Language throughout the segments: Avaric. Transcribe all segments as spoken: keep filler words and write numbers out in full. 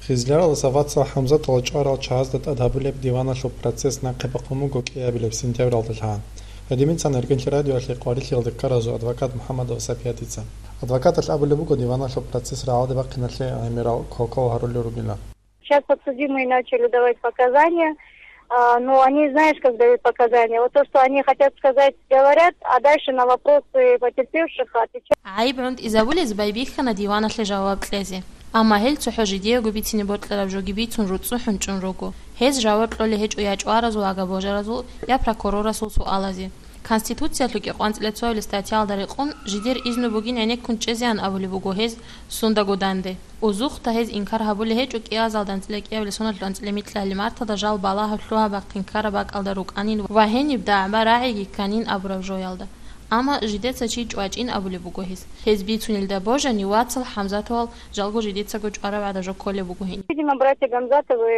Гъизляралдаса вацал ХӀамзаталда чӀварал чагӀазда тӀад гьабулеб диваналъул процесс нахъе бахъун буго кӀиабилеб сентябралда лъан. Гьединлъидал РкӀинлъи радиоялъе къварилъиялде ккаразул адвокат МухӀаммадова Сапиятица. Адвокаталъ абулеб буго диваналъул процесс рагӀалде бахъиналъе гӀемерал квалквал гьарулел ругилан. Сейчас подсудимые начали давать показания, а, но они, знаешь, как дают показания. Вот то, что они хотят сказать, говорят, а дальше на вопросы потерпевших отвечают. ГӀайиб гӀунтӀизабулез байбихьана диваналъе жаваб кьезе. Амма гьел цохӀо жидеего бицине бокьараб жоги бицун руцӀцӀухӀун чӀун руго. Гьез жаваб кьолей гьечӀо я чӀваразул агабожаразул, я прокурорасул суалазе. Конституциялъул кӀикъоялда цоябилеб статьялда рекъон, жидер изну бугин гӀенеккун чӀезеян абулеб буго гьез сундаго данде. Узухъда гьез инкар гьабулей гьечӀо кӀиазалда анцӀила кӀиабилеб соналъул анцӀила микьалъ марталда жал балагьаб лъугьа-бахъин ккараб бакӀалда рукӀанин ва гьениб дагӀба-рагӀиги кканин абураб жоялда. Амма жидеца чи чӀвачӀин абулеб буго гьез. Гьез бицунелда божани, вацал ХӀамзатовал жалго жидецаго чӀвараб гӀадаб жо кколеб буго гьениб. Видимо, братья Гамзатовы,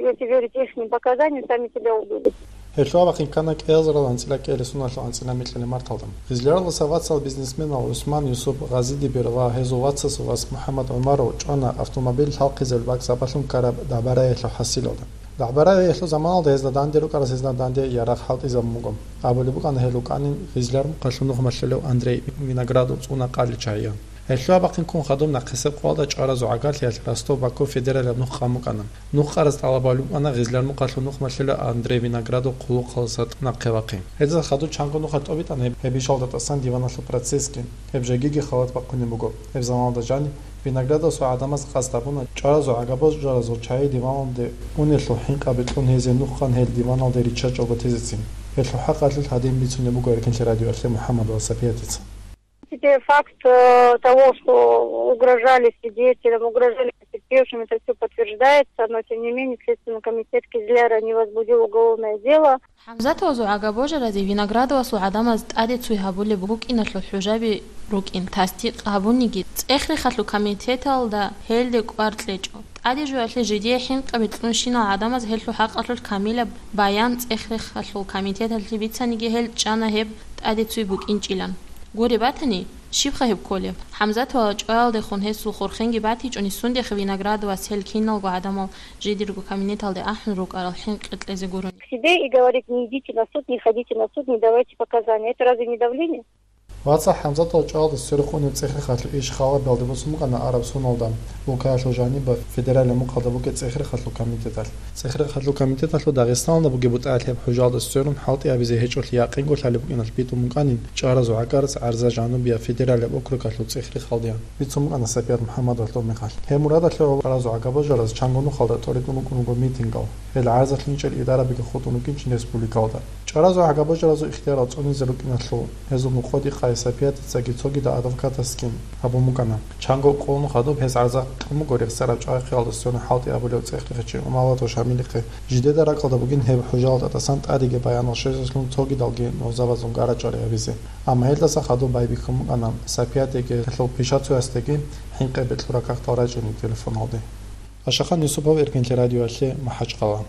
если верить ихним показаниям, сами себя убили. Гьелъул абахъин ккана кӀиазарал анцӀила кӀиабилеб соналъул анцӀила микьалъ марталда. Гъизляралдаса вацал бизнесменал ГӀусман Юсуп Гъазидибир ва гьезул вацасул вас МухӀаммад ГӀумаров чӀвана автомобиль лъалхъизабилеб бакӀ сабаблъун ккараб дагӀба-рагӀиялъул хӀасилалда. ДагӀба-рагӀиялъул заманалда гьезда данде рукӀарас гьезда данде ярагъ хӀалтӀизабун буго. Абулеб букӀана гьел рукӀанин Гъизлярмухъалъув нух малъулев Андрей Виноградов цӀуна къалил чагӀиян. Гьелъул абахъин ккун хадуб нахъисеб къоялда чӀваразул гӀагарлъиялъ Ростов-Баку федералияб нух къан букӀана. Нух къараз тӀалаб гьабулеб букӀана Гъизлярмухъалъув нух малъулев Андрей Виноградов хъулухъалдаса нахъе вахъин. Гьезда хадуб чанго нухалъ тӀобитӀана гьеб, гьеб ишалда тӀасан диваналъул процессги. Гьеб жегиги халат бахъунеб буго. Гьеб заманалда жаниб Виноградовасул гӀадамаз къасд гьабуна чӀваразул агабожаразул чагӀи диваналде унелъул хӀинкъаби кьун гьезие нух къан гьел диваналде риччачӀого тезецин. Гьелъул хӀакъалъулъ гьадин бицунеб буго РкӀинлъи радиоялъе МухӀаммадова Сапиятица. Теперь факт э, того, что угрожали свидетелям, угрожали потерпевшим, это все подтверждается, но тем не менее Следственный комитет Кизляра не возбудил уголовное дело. ХӀамзатовазул агабожаразе Виноградовасул гӀадамаз тӀаде цуй гьабулеб букӀиналъул хӀужаби рукӀин, тасдикъ гьабуниги, цӀех-рехалъул комитеталда гьелде кӀвар кьечӀо. ТӀаде жоялъе жидее хӀинкъаби кьунщинал гӀадамаз гьелъул хӀакъалъулъ камилаб баян цӀех-рехалъул комитеталъе бицаниги гьел чӀана гьеб тӀаде цуй букӀинчӀилан. Гуреб батани, щибха гьеб кколеб? ХӀамзатовал чӀваялдехун гьесул хурхенги батичӀони сундехъ Виноградовас гьел киналго гӀадамал жидерго кабинеталде ахӀун рукӀарал хӀинкъи кьезе гурони. К себе и говорит: не идите на суд, не ходите на суд, не давайте показания. Это разве не давление? Вацал ХӀамзатал чӀваялда сверухъ унеб цӀех-рехалъул иш халабиялде босун букӀана Араб Суналда, Улкаялъул жаниб федералияб мухъалда бугеб цӀех-рехалъул комитеталъ. ЦӀех-рехалъул комитеталъул Дагъистаналда бугеб бутӀаялъ гьеб хӀужалда сверун хӀалтӀи абизе гьечӀолъи якъинго лъалеб букӀиналъ битӀун букӀанин чӀаразул гӀагарлъи гӀарза жанубияб федералияб округалъул цӀех-рехалдеян, бицун букӀана Сапият МухӀаммадовалъ тӀубмехалъ. Гьеб мурадалъе чӀаразул гӀагабожаразул чанго нухалда тӀоритӀун рукӀун руго митингал. Гьел гӀарзалъ инчӀел идарабиги хутӀун рукӀинчӀин республикалда. ЧӀаразул гӀагабожаразул ихтиярал цӀунизе рукӀиналъул гьезул мукъоде къай Сапиятицаги цогидал адвокатасги гьабун букӀана. Чанго къолун хадуб гьез гӀарза кьун буго рехсараб чӀвахъиялда сверун хӀалтӀи абулев цӀех-рехачи Умалатов Шамилихъе. Жидеда ракӀалда бугин гьеб хӀужалда тӀасан тӀадеги баянал щвезелъун цогидалги нугӀзабазул гара-чӀвари гьабизе. Амма гьелдаса хадуб байбихьун букӀана Сапиятиги гьелъул пишацоясдеги хӀинкъи бекьулеб какдал рачӀине телефоналде. Ашахан Юсупов, Эркинлъи радиоялъе, МахӀачхъала.